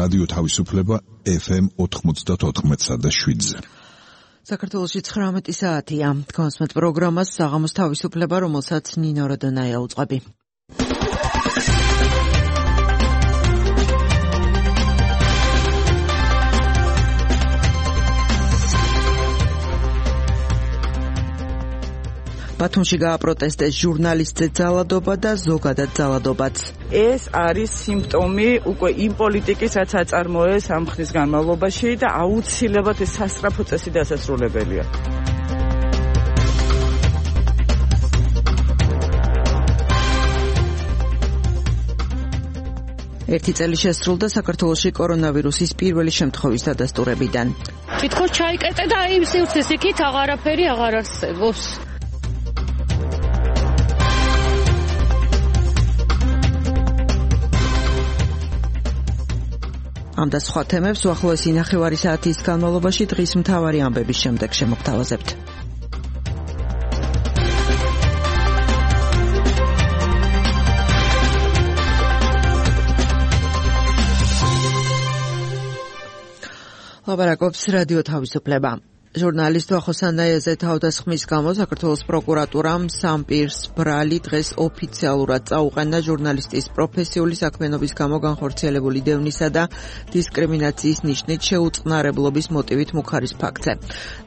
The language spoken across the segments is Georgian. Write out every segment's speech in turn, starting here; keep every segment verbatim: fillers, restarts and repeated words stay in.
რადიო თავისუფლება ეფ ემ ოთხმოცდაოთხ და შვიდზე. საქართველოში ცხრამეტი საათია. თქვენს პროგრამას საღამოს თავისუფლება, რომელსაც ნინო როდონაია უწყები. ბათუმში გააპროტესტეს ჟურნალისტზე ძალადობა და ზოგადად ძალადობაც. ეს არის სიმპტომი უკვე იმ პოლიტიკის, რაც აწარმოეს ამ ხნის განმავლობაში და აუცილებლად ეს სასწრაფო წესი დასასრულებელია. ერთი წელი შესრულდა საქართველოში კორონავირუსის პირველი შემთხვევის დადასტურებიდან. თითქოს ჩაიკეტე და აი სივრცეს იქით აღარაფერი აღარ არსებობს. ამ და სხვა თემებს უახლოესი ნახევარი საათის განმავლობაში დღის მთავარი ამბების შემდეგ შემოგთავაზებთ. ლაპარაკობს რადიო თავისუფლება. ჟურნალისტ ვახო სანაიაზე თავდასხმის გამო საქართველოს პროკურატურამ სამ პირს ბრალი დღეს ოფიციალურად წაუყენა ჟურნალისტის პროფესიული საქმიანობის გამო განხორციელებული დევნისა და დისკრიმინაციის ნიშნით შეუწყნარებლობის მოტივით მუხარის ფაქტზე.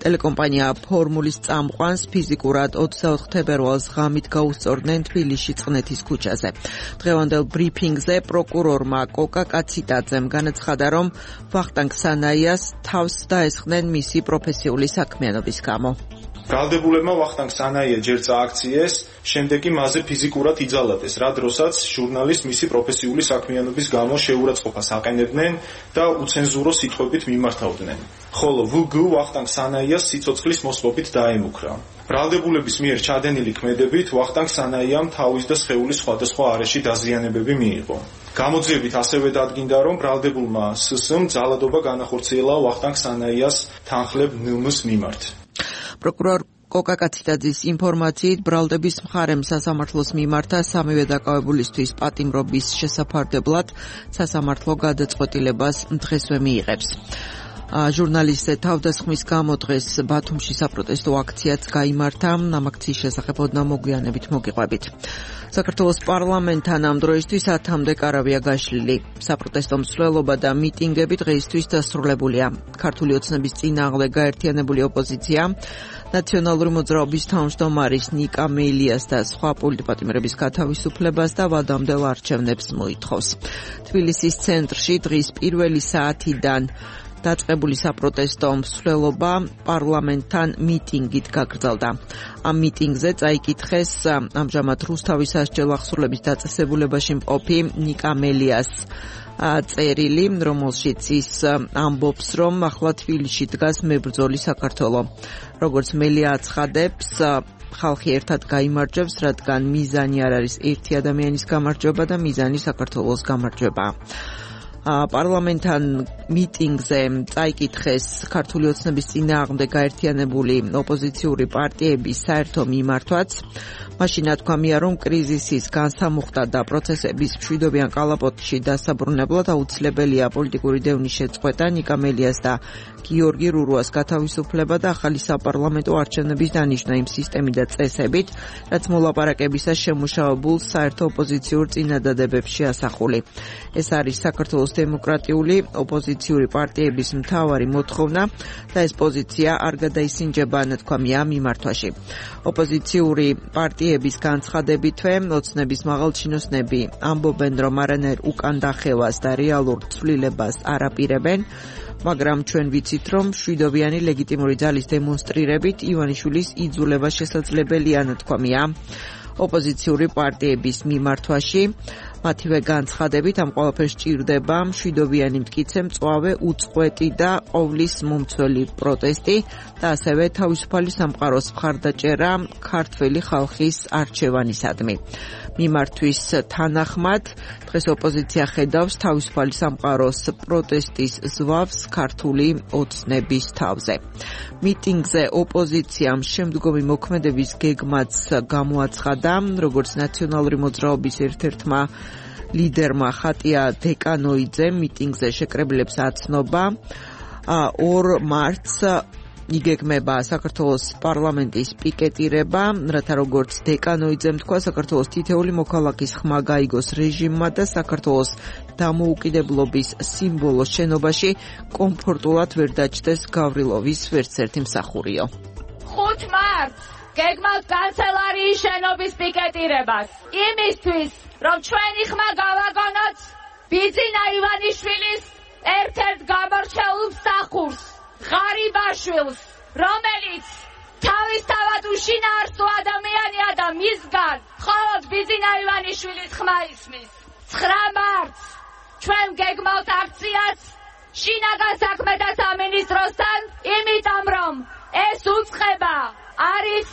ტელეკომპანია ფორმულის წამყვანს ფიზიკურად ოცდაოთხ თებერვალს ღამით გაუსწორდნენ თბილისში წყნეთის ქუჩაზე. დღევანდელ ბრიფინგზე პროკურორმა კოკა კაციტაძემ განაცხადა, რომ ვახტანგ სანაიას თავს დაესხნენ მისი პროფესიული საქმიანობის გამო. ბრალდებულებმა ვახტანგ სანაია ჯერ წააქციეს, შემდეგ კი მასზე ფიზიკურად იძალადეს, რა დროსაც ჟურნალისტს მისი პროფესიული საქმიანობის გამო შეურაცხყოფას აყენებდნენ და უცენზურო სიტყვებით მიმართავდნენ. ხოლო ვ გ ვახტანგ სანაიას სიცოცხლის მოსყობით დაემუქრა. ბრალდებულების მიერ ჩადენილი ქმედებით ვახტანგ სანაიამ თავის და სხეულის სხვადასხვა არეში დაზიანებები მიიღო. გამოძიებით ასევე დადგინდა, რომ ბრალდებულმა ს ს-მ ძალადობა განახორციელა ვახტანგ სანაიას თანხლებ ნ მ-ს მიმართ. პროკურორ კოკა კაციტაძის ინფორმაციით ბრალდების მხარემ სასამართლოს მიმართა სამივე დაკავებულისთვის პატიმრობის შესაფარდებლად სასამართლო გადაწყვეტილებას დღესვე მიიღებს. ჟურნალისტზე თავდასხმის გამო დღეს ბათუმში საპროტესტო აქციაც გაიმართა. ამ აქციის შესახებ ოდნა მოგვიანებით მოგიყვებით. საქართველოს პარლამენტთან ამ დროისთვის ათამდე კარავია გაშლილი. საპროტესტო მსვლელობა და მიტინგები დღეისთვის დასრულებულია. ქართული ოცნების წინააღმდეგ გაერთიანებული ოპოზიცია ნაციონალური მოძრაობის თავმჯდომარის ნიკა მელიას და სხვა პოლიტპატიმრების გათავისუფლებას და ვადამდელ არჩევნებს მოითხოვს. თბილისის ცენტრში დღის პირველი საათიდან დაწყებული საპროტესტო მსვლელობა პარლამენტთან მიტინგით გაგრძელდა. ამ მიტინგზე წაიკითხეს ამჟამად რუსთავის სასჯელ ახსრულების დაწესებულებაში მყოფი ნიკა მელიას წერილი, რომელშიც ის ამბობს, რომ ახლა თბილისში დგას მებრძოლი საქართველო. როგორც მელია აცხადებს, ხალხი ერთად გაიმარჯვებს, რადგან მიზანი არ არის ერთი ადამიანის გამარჯვება და მიზანი საქართველოს გამარჯვება. პარლამენტთან მიტინგზე წაიკითხეს ქართული ოცნების წინააღმდეგ გაერთიანებული ოპოზიციური პარტიების საერთო მიმართვაც. მაშინ ათქვამია, რომ კრიზისის განსამუხტა და პროცესების მშვიდობიან კალაპოტში დასაბრუნებლად აუცილებელია პოლიტიკური დევნის შეწყვეტა, ნიკა მელიას და გიორგი რურუას გათავისუფლება და ახალი საპარლამენტო არჩევნების დანიშნა იმ სისტემით და წესებით, რაც მოლაპარაკებისას შემუშავებულ საერთო ოპოზიციურ წინადადებებს შეასახული. ეს არის საქართველოს დემოკრატიული ოპოზიციური პარტიების მთავარი მოთხოვნა და ეს პოზიცია არ გადაისინჯება, ნათქვამია მიმართვაში. ოპოზიციური პარტიების განცხადებითვე ოცნების მაღალჩინოსნები ამბობენ, რომ არანაირ უკან დახევას და რეალურ ცვლილებას არ აპირებენ, მაგრამ ჩვენ ვიცით, რომ მშვიდობიანი ლეგიტიმური ძალის დემონსტრირებით ივანიშვილის იძულება შესაძლებელია, ნათქვამია ოპოზიციური პარტიების მიმართვაში. მათივე განცხადებით ამ ყველაფერს ჭირდება მშვიდობიანი მტკიცე, მწვავე, უწყვეტი და ყოვლის მომცველი პროტესტი და ასევე თავისუფალი სამყაროს მხარდაჭერა ქართველი ხალხის არჩევანისადმი. მიმართვის თანახმად დღეს ოპოზიცია ხედავს თავისუფალი სამყაროს პროტესტის ზვავს ქართული ოცნების თავზე. მიტინგზე ოპოზიციამ შემდგომი მოქმედების გეგმაც გამოაცხადა, როგორც ნაციონალური მოძრაობის ერთ-ერთმა ლიდერმა ხატია დეკანოიძემ მიტინგზე შეკრებილებს აცნობა. ორ მარტს იგეგმება საქართველოს პარლამენტის პიკეტირება, რათა როგორც დეკანოიძემ თქვა, საქართველოს თითეული მოქალაქის ხმა გაიგოს რეჟიმმა და საქართველოს დამოუკიდებლობის სიმბოლოს შენობაში კომფორტულად ვერ დაჯდეს გავრილოვის ვერცერთი მსახურიო. ხუთ მარტს გეგმავთ კანცელარიის შენობის პიკეტირებას. იმისთვის, რომ ჩვენი ხმა გავაგონოთ ბიძინა ივანიშვილის ერთ-ერთ გამორჩეულ მსახურს, ღარიბაშვილს, რომელიც თავისთავად უშინაარსო ადამიანია და მისგან მხოლოდ ბიძინა ივანიშვილის ხმა ისმის. ცხრა მარტს ჩვენ გეგმავთ აქციას შინაგან საქმეთა სამინისტროსთან, იმიტომ რომ ეს უწყება არის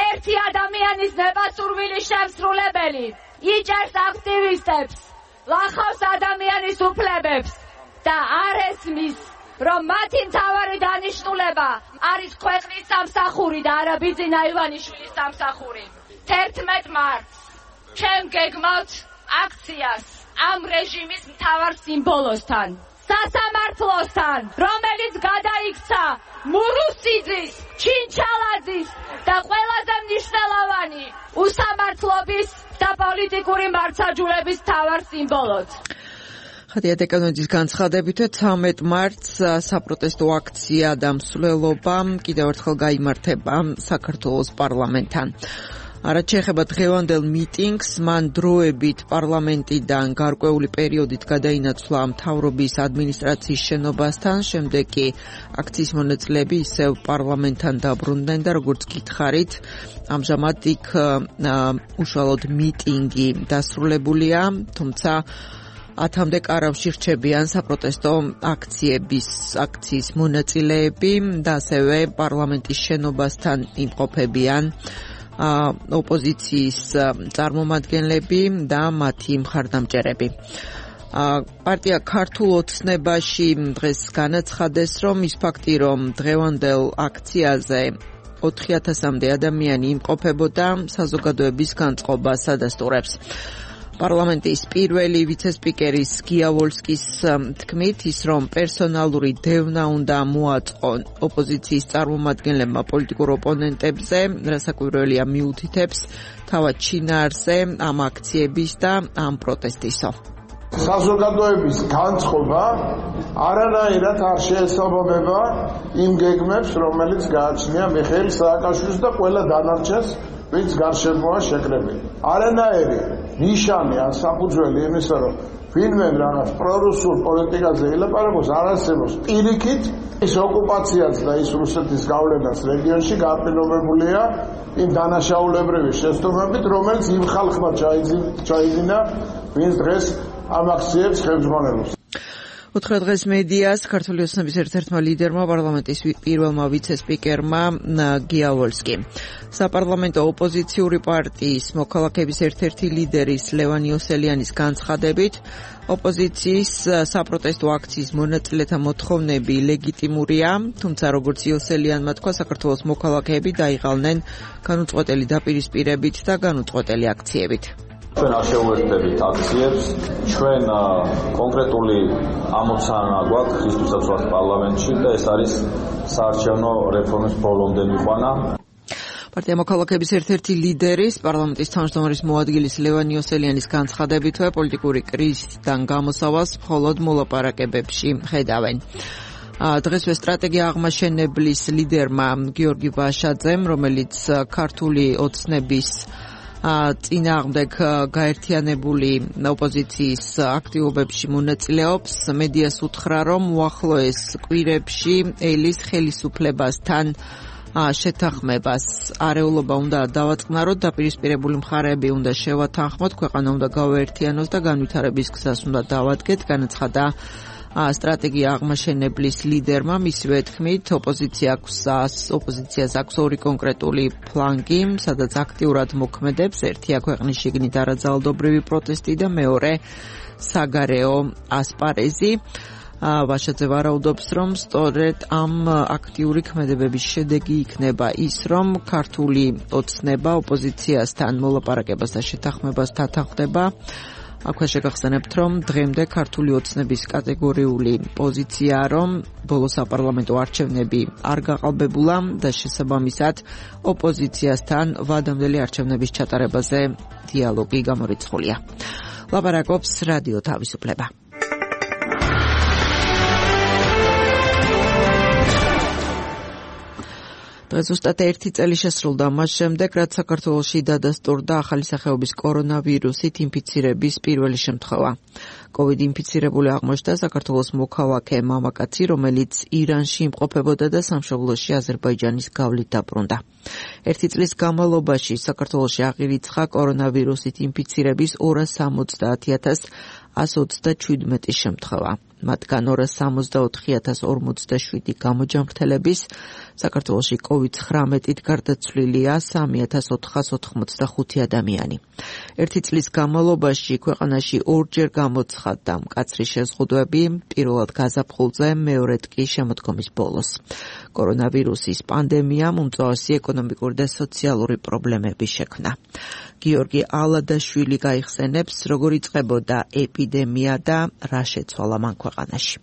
ერთი ადამიანის ნებასურვილი შემსრულებელი. იჭერს აქტივისტებს, ლახავს ადამიანის უფლებებს და არ ესმის, რომ მათი მთავარი დანიშნულება არის ქვეყნის სამსახური და არა ბიძინა ივანიშვილის სამსახური. თერთმეტ მარტს ჩვენ გეგმავთ აქციას ამ რეჟიმის მთავარ სიმბოლოსთან, სასამართლოსთან, რომელიც გადაიქცა მურუსიძის, ჩინჩალაძის და ყველაზე მნიშვნელოვანი უსამართლობის და პოლიტიკური მართლმსაჯულების მთავარ სიმბოლოს. ხატია დეკანოიძის განცხადებით ცამეტ მარტს საპროტესტო აქცია და მსვლელობა კიდევ ერთხელ გაიმართება საქართველოს პარლამენტთან. რაც შეეხება დღევანდელ მიტინგს, მან დროებით პარლამენტიდან გარკვეული პერიოდით გადაინაცვლა მთავრობის ადმინისტრაციის შენობასთან, შემდეგ კი აქციის მონაწილეები ისევ პარლამენტთან დაბრუნდნენ და როგორც გითხარით, ამჟამად იქ უშუალოდ მიტინგი დასრულებულია, თუმცა ათამდე კარავში რჩებიან საპროტესტო აქციების აქციის მონაწილეები და ასევე პარლამენტის შენობასთან იმყოფებიან ოპოზიციის წარმომადგენლები და მათი მხარდამჭერები. პარტია ქართულ ოცნებაში დღეს განაცხადეს, რომ ის ფაქტი, რომ დღევანდელ აქციაზე ოთხი ათასამდე ადამიანი იმყოფებოდა, საზოგადოების განწყობას ადასტურებს. პარლამენტის პირველი ვიცე-სპიკერის გიავოლსკის თქმით, ის რომ პერსონალური დევნა უნდა მოაწყონ ოპოზიციის წარმომადგენლებმა პოლიტიკურ ოპონენტებზე, რასაკვირველია მიუთითებს თავად შინაარსზე ამ აქციების და ამ პროტესტისო. საზოგადოების განწყობა არანაირად არ შეესაბამება იმ გეგმებს, რომელიც გააჩნია მიხეილ სააკაშვილს და ყველა დანარჩენს, ვინც გარშემოა შეკრებილი. არანაირი ნიშანი ან საფუძველი იმისა, რომ ვინმე რაღაც პრორუსულ პოლიტიკაზე ილაპარაკოს, არ არსებობს. პირიქით ის ოკუპაციაც და ის რუსეთის გავლენაც რეგიონში გაპილობებულია იმ დანაშაულებრივი შეცდომებით, რომელიც იმ ხალხმა ჩაიძინა, ვინც დღეს ამ აქციებს ხელმძღვანელობს. უთხრა დღეს მედიას ქართული ოცნების ერთ-ერთმა ლიდერმა, პარლამენტის პირველმა ვიცე-სპიკერმა გიავოლსკი. საპარლამენტო ოპოზიციური პარტიის მოქალაქეების ერთ-ერთი ლიდერის ლევან იოსელიანის განცხადებით, ოპოზიციის საპროტესტო აქციის მონაწილეთა მოთხოვნები ლეგიტიმურია, თუმცა როგორც იოსელიანმა თქვა, საქართველოს მოქალაქეები დაიღალნენ განუწყვეტელი დაპირისპირებით და განუწყვეტელი აქციებით. ჩვენ არ შევუერთდებით აქციებს, ჩვენ კონკრეტული ამოცანა გვაქვს ხისტვისაც ვართ პარლამენტში და ეს არის საარჩევნო რეფორმის ბოლომდე მიყვანა. პარტია მოქალაქეების ერთ-ერთი ლიდერის, პარლამენტის თავმჯდომარის მოადგილის ლევან იოსელიანის განცხადებითვე პოლიტიკური კრიზისიდან გამოსავალს მხოლოდ მოლაპარაკებებში ხედავენ. დღესვე სტრატეგია აღმაშენებლის ლიდერმა გიორგი ვაშაძემ, რომელიც ქართული ოცნების წინააღმდეგ გაერთიანებული ოპოზიციის აქტივობებში მონაწილეობს, მედიას უთხრა, რომ უახლოეს კვირებში ელის ხელისუფლებასთან შეთანხმებას არეულობა უნდა დავაწყნაროთ, დაპირისპირებული მხარეები უნდა შევათანხმოთ, ქვეყანა უნდა გავაერთიანოს და განვითარების გზას უნდა დავადგეთ, განაცხადა სტრატეგია აღმაშენებლის ლიდერმა. მისივე თქმით, ოპოზიციას აქვს ორი კონკრეტული ფლანგი, სადაც აქტიურად მოქმედებს. ერთია ქვეყნის შიგნით არაძალადობრივი პროტესტი და მეორე საგარეო ასპარეზი. ვაშაძე ვარაუდობს, რომ სწორედ ამ აქტიური ქმედებების შედეგი იქნება ის, რომ ქართული ოცნება ოპოზიციასთან მოლაპარაკებას და შეთანხმებას დათანხმდება. აქვე შეგახსენებთ, რომ დღემდე ქართული ოცნების კატეგორიული პოზიციაა, რომ ბოლო საპარლამენტო არჩევნები არ გაყალბებულა და შესაბამისად ოპოზიციასთან ვადამდელი არჩევნების ჩატარებაზე დიალოგი გამორიცხულია. ლაპარაკობს რადიო თავისუფლება. დღეს ზუსტად ერთი წელი შესრულდა მას შემდეგ, რაც საქართველოში დადასტურდა ახალი სახეობის კორონავირუსით ინფიცირების პირველი შემთხვევა. კოვიდ ინფიცირებული აღმოჩნდა საქართველოს მოქალაქე მამაკაცი, რომელიც ირანში იმყოფებოდა და სამშობლოში აზერბაიჯანის გავლით დაბრუნდა. ერთი წლის განმავლობაში საქართველოში აღირიცხა კორონავირუსით ინფიცირების ორას სამოცდაათი ათას ასი ოცდაჩვიდმეტი შემთხვევა. მათგან ორას სამოცდაოთხი ათას ორმოცდაშვიდი გამოჯამრთელების, საქართველოში კოვიდ ცხრამეტით გარდაცვლილია სამი ათას ოთხას ოთხმოცდახუთი ადამიანი. ერთი წლის განმავლობაში ქვეყანაში ორჯერ გამოცხადდა მკაცრი შეზღუდვები, პირველად გაზაფხულზე, მეორედ კი შემოდგომის ბოლოს. კორონავირუსის პანდემიამ უმწვავსი ეკონომიკური და სოციალური პრობლემები შექმნა. გიორგი ალადაშვილი გაიხსენებს, როგორ იწყებოდა ეპიდემია და რა შეცვალა მან ქვეყანაში.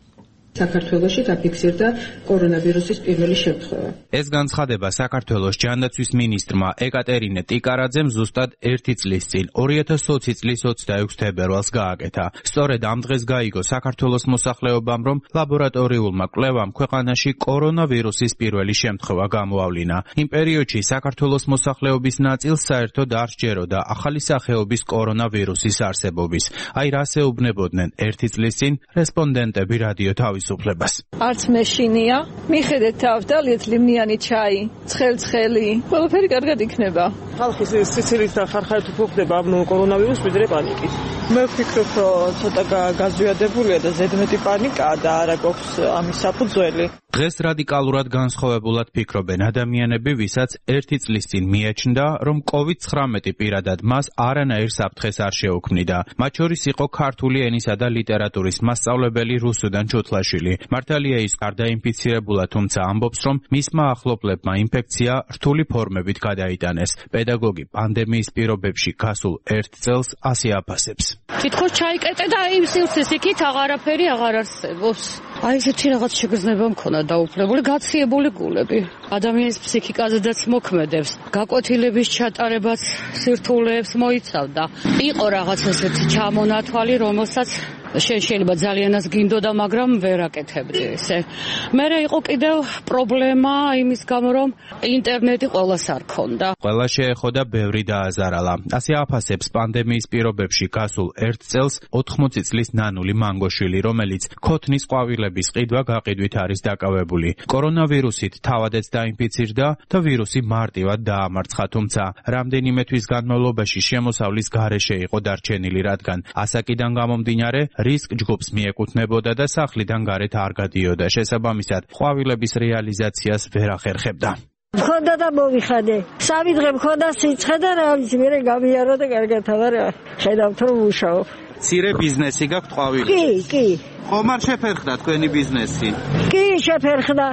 საქართველოში დაფიქსირდა კორონავირუსის პირველი შემთხვევა. ეს განცხადება საქართველოს ჯანდაცვის მინისტრმა ეკატერინე ტიკარაძემ ზუსტად ერთი წლის წინ, ორი ათას ოცი წლის ოცდაექვსი თებერვალს გააკეთა. სწორედ ამ დღეს გაიგო საქართველოს მოსახლეობამ, რომ ლაბორატორიულმა კვლევამ ქვეყანაში კორონავირუსის პირველი შემთხვევა გამოავლინა. იმ პერიოდში საქართველოს მოსახლეობის ნაწილს საერთოდ არ სჯეროდა ახალი სახეობის კორონავირუსის არსებობის. აი რას ეუბნებოდნენ ერთი წლის წინ რესპონდენტები რადიო თავისუფლებას. არც მეშინია, მიხედეთ თავდალიეთ ლიმნიანი ჩაი, ცხელ-ცხელი, ყველაფერი კარგად იქნება. ხალხის სიცილით და ხარხარით უფრო ხდება ამ კორონავირუსს ვიდრე პანიკით. მე ვფიქრობ, რომ ცოტა გაზვიადებულია და ზედმეტი პანიკაა და არა გვაქვს ამის საფუძველი. დღეს რადიკალურად განსხვავებულად ფიქრობენ ადამიანები, ვისაც ერთი წლის წინ მიაჩნდა, რომ კოვიდ ცხრამეტი პირადად მას არანაირ საფრთხეს არ შეუქმნიდა. მათ შორის იყო ქართული ენისა და ლიტერატურის მასწავლებელი რუსუდან ჩუთლაშვილი. მართალია ის არ დაინფიცირებულა, თუმცა ამბობს, რომ მისმა ახლობლებმა ინფექცია რთული ფორმებით გადაიტანეს. პედაგოგი პანდემიის პირობებში გასულ ერთ წელს ასე აფასებს. თითქოს ჩაიკეტე და იმ სივრცეს იქით აღარაფერი აღარ არსებობს. აი ესეთი რაღაც შეგრძნება მქონდა დაუფლებული, გაციებული გულები. ადამიანის ფსიქიკაზედაც მოქმედებს. გაკვეთილების ჩატარებაც სირთულეებს მოიცავდა. იყო რაღაც ესეთი ჩამონათვალი, რომელსაც შენ შეიძლება ძალიანაც გინდოდა, მაგრამ ვერ აკეთებდი ესე. მერე იყო კიდევ პრობლემა იმის გამო, რომ ინტერნეტი ყველას არ ქონდა. ყველა შეეხოდა, ბევრი დააზარალა. ასე აფასებს პანდემიის პირობებში გასულ ერთ წელს ოთხმოცი წლის ნანული მანგოშვილი, რომელიც ქოთნის ყვავილების ყიდვა გაყიდვით არის დაკავებული. კორონავირუსით თავადაც დაინფიცირდა და ვირუსი მარტივად დაამარცხა, თუმცა რამდენიმე თვის განმავლობაში შემოსავლის გარეშე იყო დარჩენილი, რადგან ასაკიდან გამომდინარე რისკ ჯგუფს მიეკუთვნებოდა და სახლიდან გარეთ არ გადიოდა. შესაბამისად, ყვავილების რეალიზაციას ვერ ახერხებდა. მქონდა და მოვიხადე. სამი დღე მქონდა სიცხე და რა ვიცი, მე გამიარო და კარგად აღარ ხედავთ რომ მუშაობ. ცირე ბიზნესი გაქვთ ყვავილი? კი, კი. ხომ არ შეფერხდა თქვენი ბიზნესი? კი, შეფერხდა.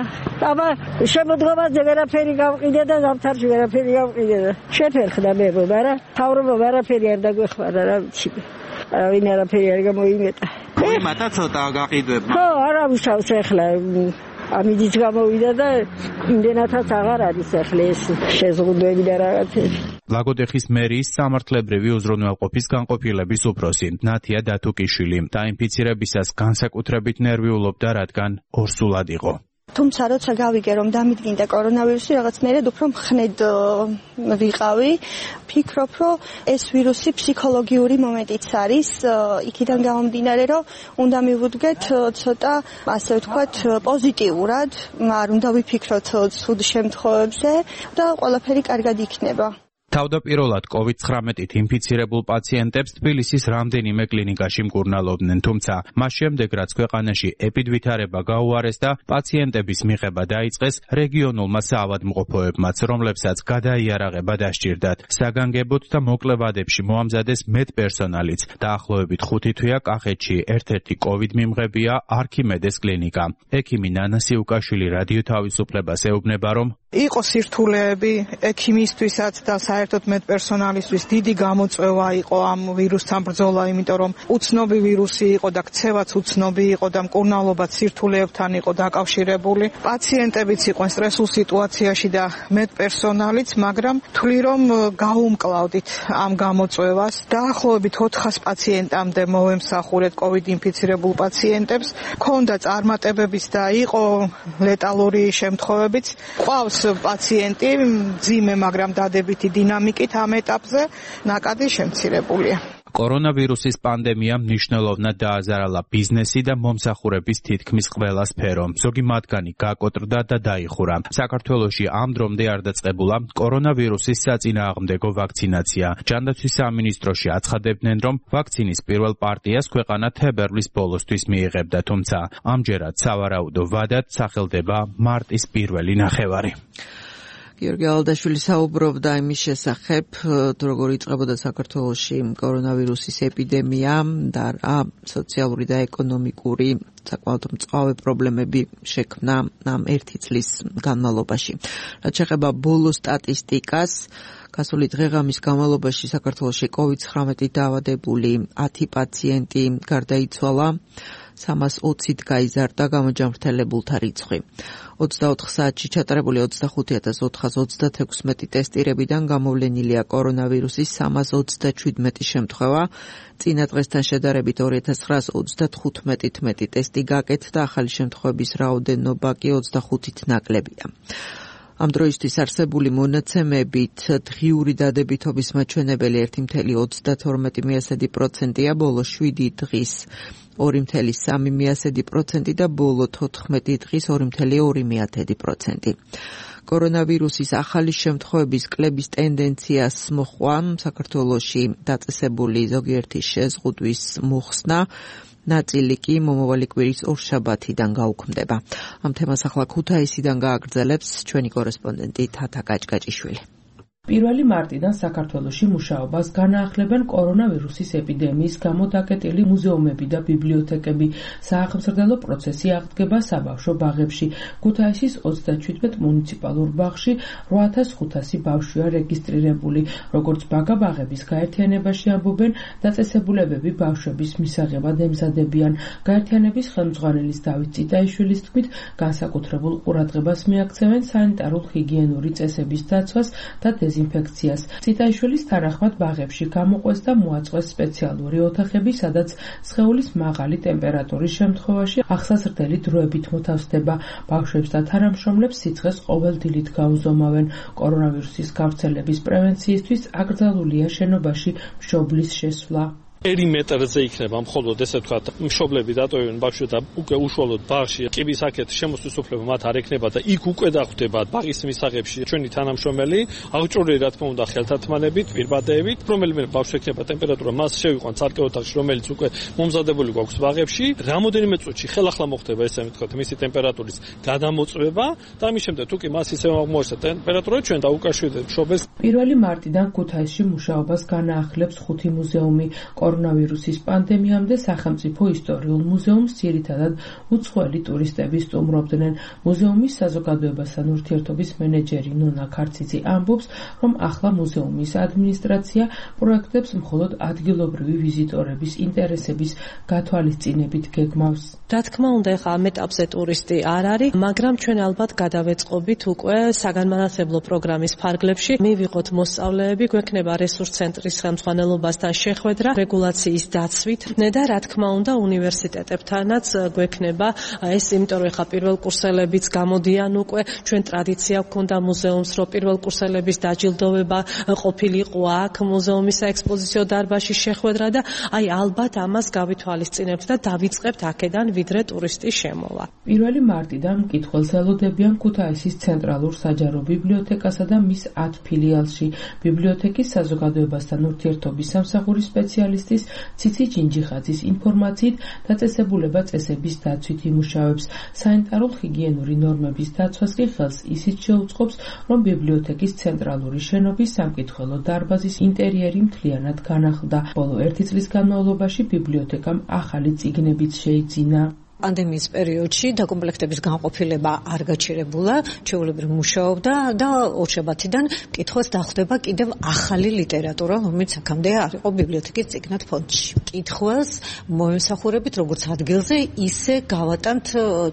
აბა შემოდგომაზე ვერაფერი გავყიდე და ზამთარში ვერაფერი გავყიდე და შეფერხდა მე, მაგრამ თავრობა ვერაფერი არ დაგვეხმარა, რა ვიცი. ვინ არაფერი არ გამოიმეტა. მოიმატა ცოტა გაყიდვება. ხო, არა მუშაობს ახლა. ამით გამოვიდა და იმდენათაც აღარ არის ახლა ეს შეზღუდვები და რაღაცები. ლაგოდეხის მერიის სამართლებრივი უზრუნველყოფის განყოფილების უფროსი ნათია დათუკიშვილი დაინფიცირებისას განსაკუთრებით ნერვიულობდა, რადგან ორსულად იყო. თუმცა როცა გავიგე რომ დამიდგინდა კორონავირუსი, რაღაც მერე უფრო მხნედ ვიყავი. ფიქრობ, რომ ეს ვირუსი ფსიქოლოგიური მომენტიც არის, იქიდან გამომდინარე, რომ უნდა მივუდგეთ ცოტა, ასე ვთქვათ, პოზიტიურად, არ უნდა ვიფიქროთ ცუდ შემთხვევებზე და ყველაფერი კარგად იქნება. თავდაპირველად კოვიდ ცხრამეტით ინფიცირებულ პაციენტებს თბილისის რამდენიმე კლინიკაში მკურნალობდნენ, თუმცა მას შემდეგ, რაც ქვეყანაში ეპიდვითარება გაუარეს და პაციენტების მიღება დაიწყეს, რეგიონულმა საავადმყოფოებმაც, რომლებსაც გადაიარაღება დასჭირდათ. საგანგებოდ და მოკლე ვადებში მოამზადეს მეტპერსონალიც. დაახლოებით ხუთი თვეა კახეთში ერთ-ერთი კოვიდ მიმღებია არქიმედეს კლინიკა. ექიმი ნანა სიუკაშვილი რადიო თავისუფლებას ეუბნება, რომ იყო სირთულეები ექიმისთვისაც და საერთოდ მედპერსონალისთვის დიდი გამოწვევა იყო ამ ვირუსთან ბრძოლა, იმიტომ რომ უცნობი ვირუსი იყო და ქცევაც უცნობი იყო და მკურნალობაც სირთულეებთან იყო დაკავშირებული. პაციენტებიც იყვნენ სტრესულ სიტუაციაში და მედპერსონალიც, მაგრამ თვლი რომ გაუმკლავდით ამ გამოწვევას. დაახლოებით ოთხას პაციენტამდე მოვემსახურეთ კოვიდ ინფიცირებულ პაციენტებს. ქონდა წარმატებებიც და იყო ლეტალური შემთხვევებიც. ყავს პაციენტი მძიმე, მაგრამ დადებითი დინამიკით ამ ეტაპზე ნაკადი შემცირებულია. კორონავირუსის პანდემიამ მნიშვნელოვნად დააზარალა ბიზნესი და მომსახურების თითქმის ყველა სფერო. ზოგი მათგანი გაკოტრდა და დაიხურა. საქართველოში ამ დრომდე არ დაწყებულა კორონავირუსის საწინააღმდეგო ვაქცინაცია. ჯანდაცვის სამინისტროში აცხადებდნენ, რომ ვაქცინის პირველ პარტიას ქვეყანა თებერვლის ბოლოსთვის მიიღებდა, თუმცა ამჯერად სავარაუდო ვადად სახელდება მარტის პირველი ნახევარი. გიორგი ალდაშვილი საუბრობდა იმის შესახებ, თუ როგორ იწყებოდა საქართველოში კორონავირუსის ეპიდემია და რა სოციალური და ეკონომიკური საკმაოდ მწვავე პრობლემები შექმნა ამ ერთი წლის განმავლობაში. რაც შეეხება ბოლო სტატისტიკას, გასული დღე-ღამის განმავლობაში საქართველოში კოვიდ ცხრამეტი დაავადებული ათი პაციენტი გარდაიცვალა, სამას ოცით გაიზარდა გამოჯანმრთელებულთა რიცხვი. ოცდაოთხ საათში ჩატარებული ოცდახუთი ათას ოთხას ოცდათექვსმეტი ტესტირებიდან გამოვლენილია კორონავირუსის სამას ოცდაჩვიდმეტი შემთხვევა. წინა დღესთან შედარებით ორი ათას ცხრაას ოცდათხუთმეტით მეტი ტესტი გაკეთდა, ახალი შემთხვევების რაოდენობა კი ოცდახუთით ნაკლებია. ამ დროისთვის არსებული მონაცემებით დღიური დადებითობის მაჩვენებელი ერთი წუთი ოცდათორმეტი პროცენტია, ბოლო შვიდი დღის ორი წუთი სამი პროცენტი და ბოლო თოთხმეტი დღის ორი წუთი ორი პროცენტი. კორონავირუსის ახალი შემთხვევების კლების ტენდენციას მოჰყვა საქართველოში დაწესებული ზოგიერთი შეზღუდვის მოხსნა, ნაწილი კი მომავალი კვირის ორშაბათიდან გაუქმდება. ამ თემას ახლა ქუთაისიდან გააგრძელებს ჩვენი კორესპონდენტი თათა გაჭგაჭიშვილი. პირველი მარტიდან საქართველოში მუშაობას განაახლებენ კორონავირუსის ეპიდემიის გამო დაკეტილი მუზეუმები და ბიბლიოთეკები. საახმზრდელო პროცესი აღდგება საბავშვო ბაღებში. ქუთაისის ოცდაჩვიდმეტ მუნიციპალურ ბაღში რვა ათას ხუთასი ბავშვია რეგისტრირებული. როგორც ბაგა ბაღების გაერთიანებაში ამბობენ, დაწესებულებები ბავშვების მისაღებად ემზადებიან. გაერთიანების ხელმძღვანელის დავით წიტაიშვილის თქმით, განსაკუთრებულ ყურადღებას მიაქცევენ სანიტარულ-ჰიგიენური წესების დაცვას და დეზინფექციას. წიტაიშვილის თანახმად ბაღებში გამოყვეს და მოაწყვეს სპეციალური ოთახები, სადაც სხეულის მაღალი ტემპერატურის შემთხვევაში ახსაზრდელი დროებით მოთავსდება. ბავშვებს და თანამშრომლებს სიცხეს ყოველდილით გაუზომავენ. კორონავირუსის გავრცელების პრევენციისთვის აკრძალულია შენობაში მშობლის შესვლა. პერიმეტრზე იქნება მხოლოდ ესე ვთქვათ მშობლები დატოვებენ ბავშვებს და უკვე უშუალოდ ბაღში კიბის აქეთ შემოსვლის უფლება მათ არ ექნება და იქ უკვე დახვდება ბაღის მისაღებში ჩვენი თანამშრომელი აღჭურვილი რა თქმა უნდა ხელთათმანებით, პირბადეებით, რომელიმე ბავშვი ექნება ტემპერატურა მას შევიყვან ცალკე ოთახში, რომელიც უკვე მომზადებული გვაქვს ბაღებში, რამოდენიმე წუთში ხელახლა მოხდება ესე ვთქვათ მისი ტემპერატურის გადამოწვევა და ამის შემდეგ თუ კი მას ისე აღმოჩნდა ტემპერატურა ჩვენ დაუკავშირდეთ მშობელს. პირველი მარტიდან ქუთაისში მუშაობას განაახლებს ხუთი მუზეუმი. კორონავირუსის პანდემიამდე სახელმწიფო ისტორიულ მუზეუმს ძირითადად უცხოელი ტურისტები სტუმრობდნენ. მუზეუმის საზოგადოებასთან ურთიერთობის მენეჯერი ნონა ქარციძე ამბობს, რომ ახლა მუზეუმის ადმინისტრაცია პროექტებს მხოლოდ ადგილობრივი ვიზიტორების ინტერესების გათვალისწინებით გეგმავს. რა თქმა უნდა, ახლა ამ ეტაპზე ტურისტი არ არის, მაგრამ ჩვენ ალბათ გადავეწყობით უკვე საგანმანათლებლო პროგრამის ფარგლებში. მივიღოთ მოსწავლეები, გვექნება რესურს ცენტრის ხელმძღვანელობასთან შეხვედრა რეგულაციის დაცვით და რა თქმა უნდა უნივერსიტეტებთანაც გვექნება ეს, იმიტომ რომ ახლა პირველ კურსელებიც გამოდიან უკვე, ჩვენ ტრადიცია გვქონდა მუზეუმს, რომ პირველ კურსელების დაჯილდოვება ყოფილიყო აქ მუზეუმის საექსპოზიციო დარბაზში შეხვედრა და აი ალბათ ამას გავითვალისწინებთ და დავიწყებთ აქედან ვიდრე ტურისტის შემოვა. პირველი მარტიდან მკითხველს ელოდებიან ქუთაისის ცენტრალურ საჯარო ბიბლიოთეკასა და მის ათ ფილიალში. ბიბლიოთეკის საზოგადოებასთან ურთიერთობის სამსახურის სპეციალისტის ციცი ჯინჯიხაძის ინფორმაციით დაწესებულება წესების დაცვით იმუშავებს. სანიტარულ-ჰიგიენური ნორმების დაცვას კი ხელს ისიც შეუწყობს, რომ ბიბლიოთეკის ცენტრალური შენობის სამკითხველო დარბაზის ინტერიერი მთლიანად განახლდა. ბოლო ერთი წლის განმავლობაში ბიბლიოთეკამ ახალი წიგნებიც შეიძინა. პანდემიის პერიოდში დაკომპლექტების განყოფილება არ გაჩერებულა, ჩვეულებრივ მუშაობდა და ორშაბათიდან კითხვას დახვდება კიდევ ახალი ლიტერატურა, რომელიც აქამდე არ იყო ბიბლიოთეკის წიგნად ფონდში. კითხვას მოემსახურებით როგორც ადგილზე, ისე გავატანთ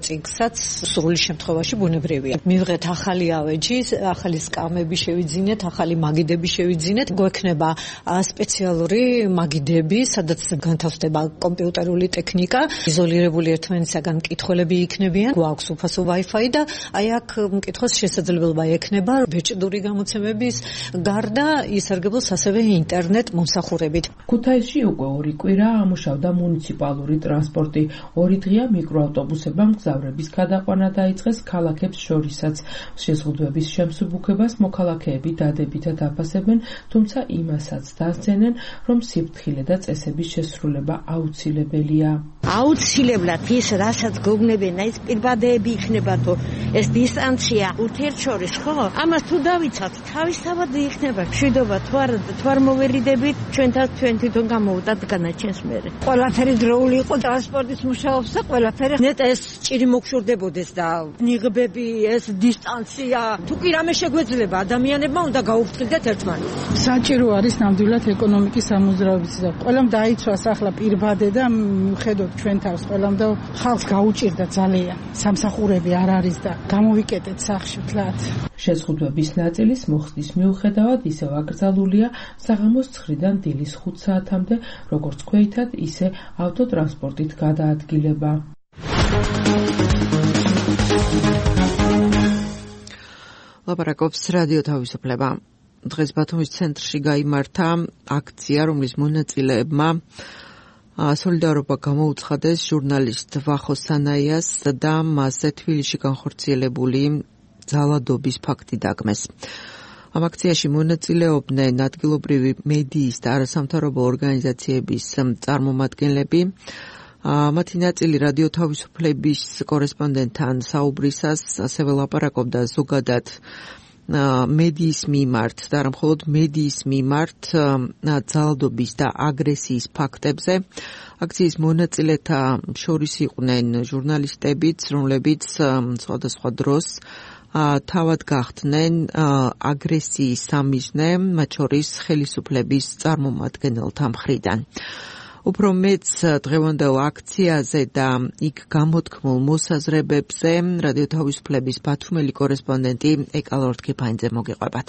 წიგნსაც სრული შემთხვევაში ბუნებრივია. მივიღეთ ახალი ავეჯი, ახალი სკამები შევიძინეთ, ახალი მაგიდები შევიძინეთ. გვექნება სპეციალური მაგიდები, სადაც განთავსდება კომპიუტერული ტექნიკა, იზოლირებული ერთმანეთისაგან მკითხველები იქნებიან, გვაქვს უფასო Wi-Fi და აი აქ მკითხოს შესაძლებლობა ექნება ბეჭდური გამოცემების გარდა ისარგებლოს ასევე ინტერნეტ მომსახურებით. ქუთაისში უკვე ორი კვირა ამუშავდა მუნიციპალური ტრანსპორტი. ორი დღეა მიკროავტობუსებმა მგზავრების გადაყვანა დაიწყეს ქალაქებს შორისაც. შეზღუდვების შემსუბუქებას მოქალაქეები დადებითად აფასებენ, თუმცა იმასაც დასცენენ, რომ სიფრთხილე და წესების შესრულება აუცილებელია. აუცილებლად ის რასაც გოგნებენ, ის პირბადეები იქნება თუ ეს დისტანცია ურთიერთშორის, ხო? ამას თუ დავიცავთ, თავისთავად იქნება მშვიდობა, თუ არ თუ არ მოვერიდებით, ჩვენთან ჩვენ თვითონ გამოვუტათ განაჩენს მერე. ყველაფერი დროული იყო ტრანსპორტის მუშაობს და ყველაფერი ნეტა ეს ჭირი მოგშურდებოდეს და ნიღბები, ეს დისტანცია, თუ კი რამე შეგვეძლება, ადამიანებმა უნდა გაუფრთხილდეთ ერთმანეთს. საჭირო არის ნამდვილად ეკონომიკის სამოძრაობიც და ყველამ დაიცვას ახლა პირბადე და ხედოთ ჩვენ თავს ყველამ და ხალხს გაუჭირდა ძალიან. სამსახურები არ არის და გამოვიკეტეთ სახში თლათ. შეზღუდვების ნაწილის მოხდის მიუხედავად ისევ აკრძალულია საღამოს ცხრიდან დილის ხუთ საათამდე, როგორც ქვეითად, ისე ავტოტრანსპორტით გადაადგილება. ლაპარაკობს რადიო თავისუფლება. დღეს ბათუმის ცენტრში გაიმართა აქცია, რომლის მონაწილეებმა სოლიდარობა გამოუცხადეს ჟურნალისტ ვახო სანაიას და მასზე თბილისში განხორციელებული ძალადობის ფაქტი დაგმეს. ამ აქციაში მონაწილეობდნენ ადგილობრივი მედიის და არასამთავრობო ორგანიზაციების წარმომადგენლები. მათი ნაწილი რადიო თავისუფლების კორესპონდენტთან საუბრისას ასევე ლაპარაკობდა ზოგადად მედიის მიმართ და არა მხოლოდ მედიის მიმართ ძალადობის და აგრესიის ფაქტებზე. აქციის მონაწილეთა შორის იყვნენ ჟურნალისტებიც, რომლებიც სხვადასხვა დროს თავად გახდნენ აგრესიის სამიზნე, მათ შორის ხელისუფლების წარმომადგენელთა მხრიდან. უფრო მეც დღევანდელ აქციაზე და იქ გამოთქმულ მოსაზრებებზე რადიო თავისუფლების ბათუმელი კორესპონდენტი ეკალორ თქიფანიძე მოგიყვებათ.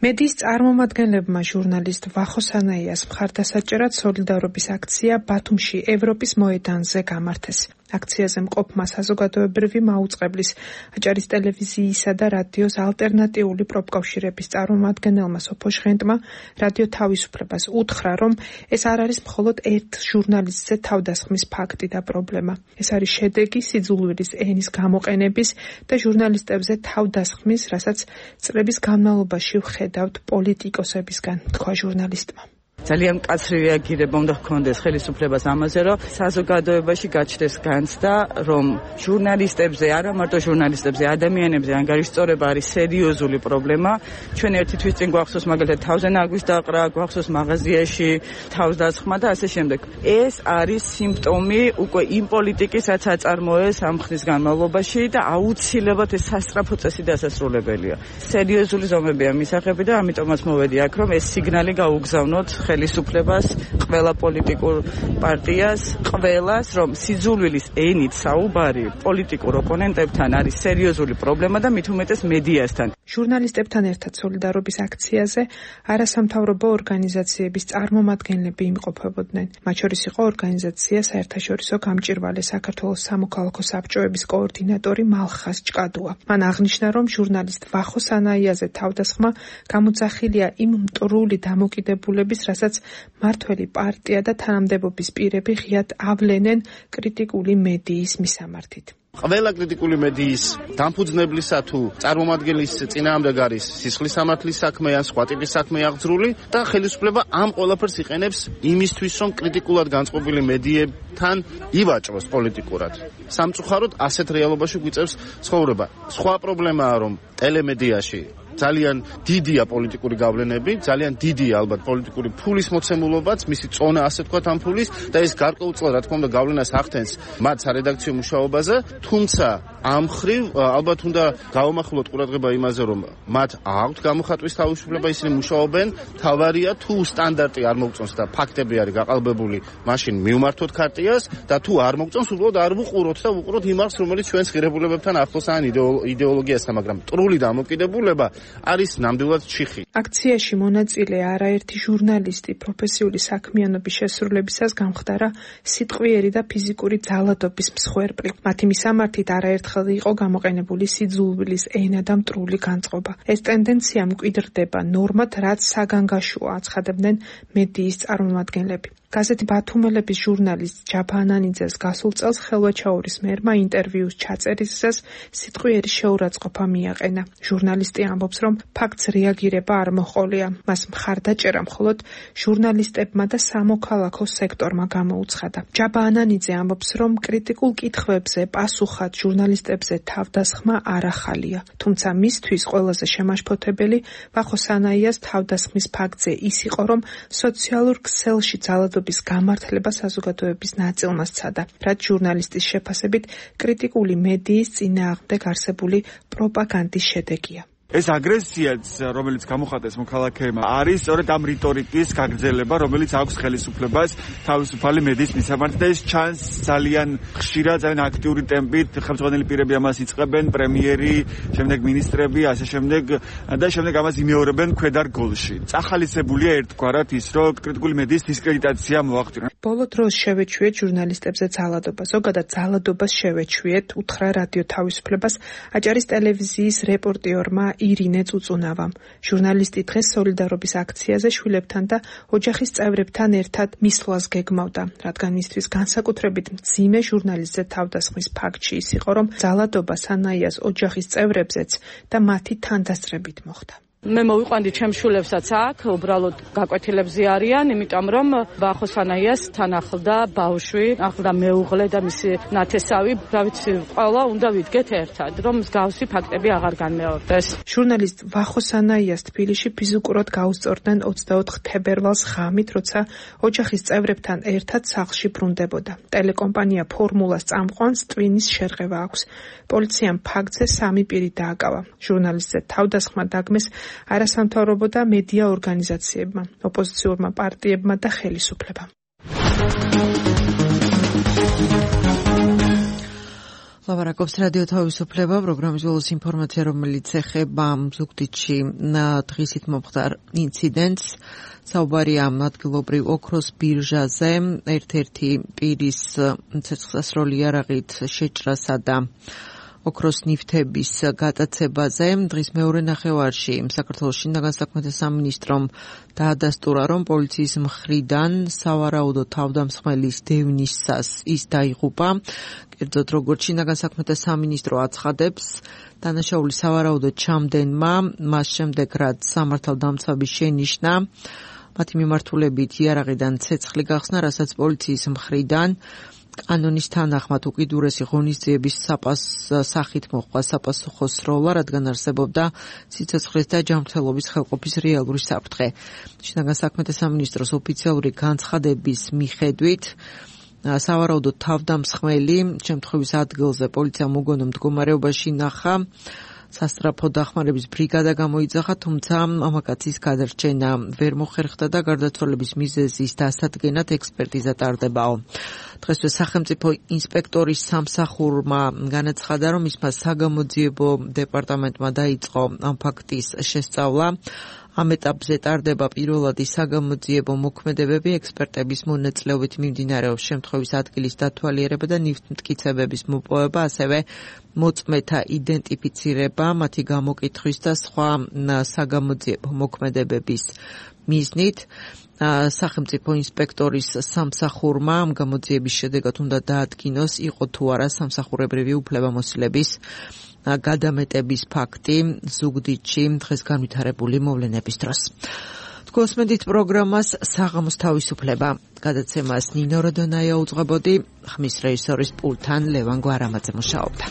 მედიის წარმომადგენლებმა ჟურნალისტ ვახო სანაიას მხარდასაჭერად სოლიდარობის აქცია ბათუმში ევროპის მოედანზე გამართეს. აქციაზე მყოფმა საზოგადოებრივი მაუწყებლის, აჭარის ტელევიზიისა და რადიოს ალტერნატიული პროფკავშირების წარმომადგენელმა სოფო ჟღენტმა რადიო თავისუფლებას უთხრა, რომ ეს არ არის მხოლოდ ერთ ჟურნალისტზე თავდასხმის ფაქტი და პრობლემა. ეს არის შედეგი სიძულვილის ენის გამოყენების და ჟურნალისტებზე თავდასხმის, რასაც წლების განმავლობაში ვხედავთ პოლიტიკოსებისგან, თქვა ჟურნალისტმა. ძალიან მკაცრი რეაგირება უნდა ჰქონდეს ხელისუფლებას ამაზე, რომ საზოგადოებაში გაჩნდეს განცდა, რომ ჟურნალისტებზე, არა მარტო ჟურნალისტებზე, ადამიანებზე ანგარიშწორება არის სერიოზული პრობლემა. ჩვენ ერთი თვის წინ გვახსოვს მაგალითად თავზე ნაგვის დაყრა, გვახსოვს მაღაზიაში თავსდასხმა და ასე შემდეგ. ეს არის სიმპტომი უკვე იმ პოლიტიკის, რაც აწარმოეს ამ ხნის განმავლობაში და აუცილებლად ეს სასწრაფო წესი დასასრულებელია. სერიოზული ზომებია მისაღები და ამიტომაც მოვედი აქ, რომ ეს სიგნალი გაუგზავნოთ ხელისუფლებას, ყველა პოლიტიკურ პარტიას, ყველას, რომ სიძულვილის ენით საუბარი პოლიტიკურ ოპონენტებთან არის სერიოზული პრობლემა და მით უმეტეს მედიასთან. ჟურნალისტებთან ერთად სოლიდარობის აქციაზე არასამთავრობო ორგანიზაციების წარმომადგენლები იმყოფებოდნენ. მათ შორის იყო ორგანიზაცია საერთაშორისო გამჭვირვალე საქართველოს სამოქალაქო საბჭოების კოორდინატორი მალხაზ ჭკადუა. მან აღნიშნა, რომ ჟურნალისტ ვახო სანაიაზე თავდასხმა გამოძახილია იმ მტრული დამოკიდებულების, რასაც მართველი პარტია და თანამდებობის პირები ღიად ავლენენ კრიტიკული მედიის მისამართით. ყველა კრიტიკული მედიის დამფუძნებლისა თუ წარმომადგენლის წინააღმდეგ არის სისხლის სამართლის საქმე ან სხვა ტიპის საქმე აღძრული და ხელისუფლება ამ ყველაფერს იყენებს იმისთვის, რომ კრიტიკულად განწყობილი მედიებთან ივაჭროს პოლიტიკურად. სამწუხაროდ ასეთ რეალობაში გვიწევს ცხოვრება. სხვა პრობლემაა, რომ ტელემედიაში ძალიან დიდია პოლიტიკური გავლენები, ძალიან დიდია ალბათ პოლიტიკური ფულის მოცემულობაც, მისი წონა ასე თქვათ ამ ფულის და ეს გარკვეულწილად რა თქმა უნდა გავლენას ახდენს მათ სარედაქციო მუშაობაზე, თუმცა ამ ხრივ ალბათ უნდა გავამახვილოთ ყურადღება იმაზე, რომ მათ აქვთ გამოხატვის თავისუფლება, ისინი მუშაობენ, თავარია თუ სტანდარტი არ მოგწონს და ფაქტები არის გაყალბებული, მაშინ მივმართოთ ქარტიას და თუ არ მოგწონს, უბრალოდ არ ვუყუროთ და ვუყუროთ იმ არხს, რომელიც ჩვენს ღირებულებებთან ახლოს ან იდეოლოგიასთან, მაგრამ ტრული დამოკიდებულება არის ნამდვილად ჩიხი. აქციაში მონაწილე არაერთი ჟურნალისტი პროფესიული საქმიანობის შესრულებისას გამხდარა სიტყვიერი და ფიზიკური ძალადობის მსხვერპლი. მათი მისამართით არაერთხელ იყო გამოყენებული სიძულვილის ენა და მტრული განწყობა. ეს ტენდენცია მკვიდრდება ნორმად, რაც საგანგაშოა, აცხადებდნენ მედიის წარმომადგენლები. გაზეთი ბათუმელების ჟურნალისტ ჯაბა ანანიძეს გასულ წელს ხელვაჩაურის მერმა ინტერვიუს ჩაწერისას სიტყვიერი შეურაცხყოფა მიაყენა. ჟურნალისტი ამბობს, რომ ფაქტს რეაგირება არ მოჰყოლია. მას მხარდაჭერა მხოლოდ ჟურნალისტებმა და სამოქალაქო სექტორმა გამოუცხადა. ჯაბა ანანიძე ამბობს, რომ კრიტიკულ კითხვებზე პასუხად ჟურნალისტებზე თავდასხმა არ ახალია. თუმცა მისთვის ყველაზე შემაშფოთებელი ვახო სანაიას თავდასხმის ფაქტზე ის იყო, რომ სოციალურ ქსელში ძალადობის გამართლება საზოგადოების ნაწილმა სცადა, რაც ჟურნალისტის შეფასებით კრიტიკული მედიის წინააღმდეგ არსებული პროპაგანდის შედეგია. ეს აგრესიაც, რომელიც გამოხატეს მოქალაქეებმა, არის სწორედ ამ რიტორიკის გაგრძელება, რომელიც აქვს ხელისუფლებას თავისუფალი მედიის მისამართი და ეს ჩანს ძალიან ხშირად, ძალიან აქტიური ტემპით. ხელმძღვანელი პირები ამას იწყებენ, პრემიერი, შემდეგ მინისტრები, ასე შემდეგ და შემდეგ ამას იმეორებენ ქვედარგოლში. წახალისებულია ერთგვარად ის, რომ კრიტიკული მედიის დისკრედიტაცია მოახდინა. ბოლო დროს შევეჩვიეთ ჟურნალისტებზე ძალადობა. ზოგადად ძალადობას შევეჩვიეთ, უთხრა რადიო თავისუფლებას აჭარის ტელევიზიის რეპორტიორმა ირინე წუწუნავამ. ჟურნალისტი დღეს სოლიდარობის აქციაზე შვილებთან და ოჯახის წევრებთან ერთად მისვლას გეგმავდა, რადგან მისთვის განსაკუთრებით მძიმე ჟურნალისტზე თავდასხმის ფაქტში ის იყო, რომ ძალადობა სანაიას ოჯახის წევრებზეც და მათი თანდასწრებით მოხდა. მე მოვიყვანდი ჩემს შვილებსაც აქ, უბრალოდ გაკვეთილებზე არიან, იმიტომ რომ ვახო სანაიას თან ახლდა ბავშვი, ახლდა მეუღლე და მისი ნათესავი, რა ვიცი, ყველა უნდა ვიდგეთ ერთად, რომ მსგავსი ფაქტები აღარ განმეორდეს. ჟურნალისტ ვახო სანაიას თბილისში ფიზიკურად გაუსწორდნენ ოცდაოთხ თებერვალს ღამით, როცა ოჯახის წევრებთან ერთად სახლში ბრუნდებოდა. ტელეკომპანია ფორმულას წამყვანს ტვინის შერღევა აქვს. პოლიციამ ფაქტზე სამი პირი დააკავა. ჟურნალისტზე თავდასხმა დაგმეს არასამთავრობო და მედია ორგანიზაციებმა, ოპოზიციურმა პარტიებმა და ხელისუფლებამ. ლაპარაკობს რადიო თავისუფლება, პროგრამის ბოლოს ინფორმაცია, რომელიც ეხება ზუგდიდში დღისით მომხდარ ინციდენტს. საუბარია ადგილობრივ ოქროს ბირჟაზე, ერთ-ერთი პირის ცეცხლსასროლი იარაღით შეჭრასა და ოქროს ნივთების გატაცებაზე. დღის მეორე ნახევარში საქართველოს შინაგან საქმეთა სამინისტრომ დაადასტურა, რომ პოლიციის მხრიდან სავარაუდო თავდამსხმელის დევნისას ის დაიღუპა. კერძოდ, როგორც შინაგან საქმეთა სამინისტრო აცხადებს, დანაშაული სავარაუდოდ ჩამდენმა, მას შემდეგ რაც სამართალდამცავი შენიშნა, მათი მიმართულებით იარაღიდან ცეცხლი გახსნა, რასაც პოლიციის მხრიდან კანონის თანახმად უკიდურესი ღონისძიების სახით მოხდა საპასუხო სროლა, რადგან არსებობდა სიცოცხლის და ჯანმრთელობის ხელყოფის რეალური საფრთხე. შინაგან საქმეთა სამინისტროს ოფიციალური განცხადების მიხედვით, სავარაუდოდ თავდამსხმელი შემთხვევის ადგილზე პოლიციამ უგონო მდგომარეობაში ნახა. სასტრაფო დახმარების ბრიგადა გამოიძახა, თუმცა მამაკაცის გადარჩენა ვერ მოხერხდა და გარდაცვალების მიზეზის დასადგენად ექსპერტიზა ტარდებაო. დღესვე სახელმწიფო ინსპექტორის სამსახურმა განაცხადა, რომ მისმა საგამოძიებო დეპარტამენტმა დაიწყო ამ ფაქტის შესწავლა. ამ ეტაპზე ტარდება პირველადი საგამოძიებო მოქმედებები, ექსპერტების მონაწილეობით მიმდინარეობს შემთხვევის ადგილის დათვალიერება და ნივთმტკიცებების მოპოვება, ასევე მოწმეთა იდენტიფიცირება, მათი გამოკითხვის და სხვა საგამოძიებო მოქმედებების მიზნით. სახელმწიფო ინსპექტორის სამსახურმა ამ გამოძიების შედეგად უნდა დაადგინოს, იყო თუ არა სამსახურებრივი უფლებამოსილების გადამეტების ფაქტი ზუგდიდში დღეს განვითარებული მოვლენების დროს. გოსმედით პროგრამას საღამოს თავისუფლება. გადაცემას ნინო როდონაია უძღვებოდი, ხმის რეჟისორის პულტთან ლევან გვარამაძე მუშაობდა.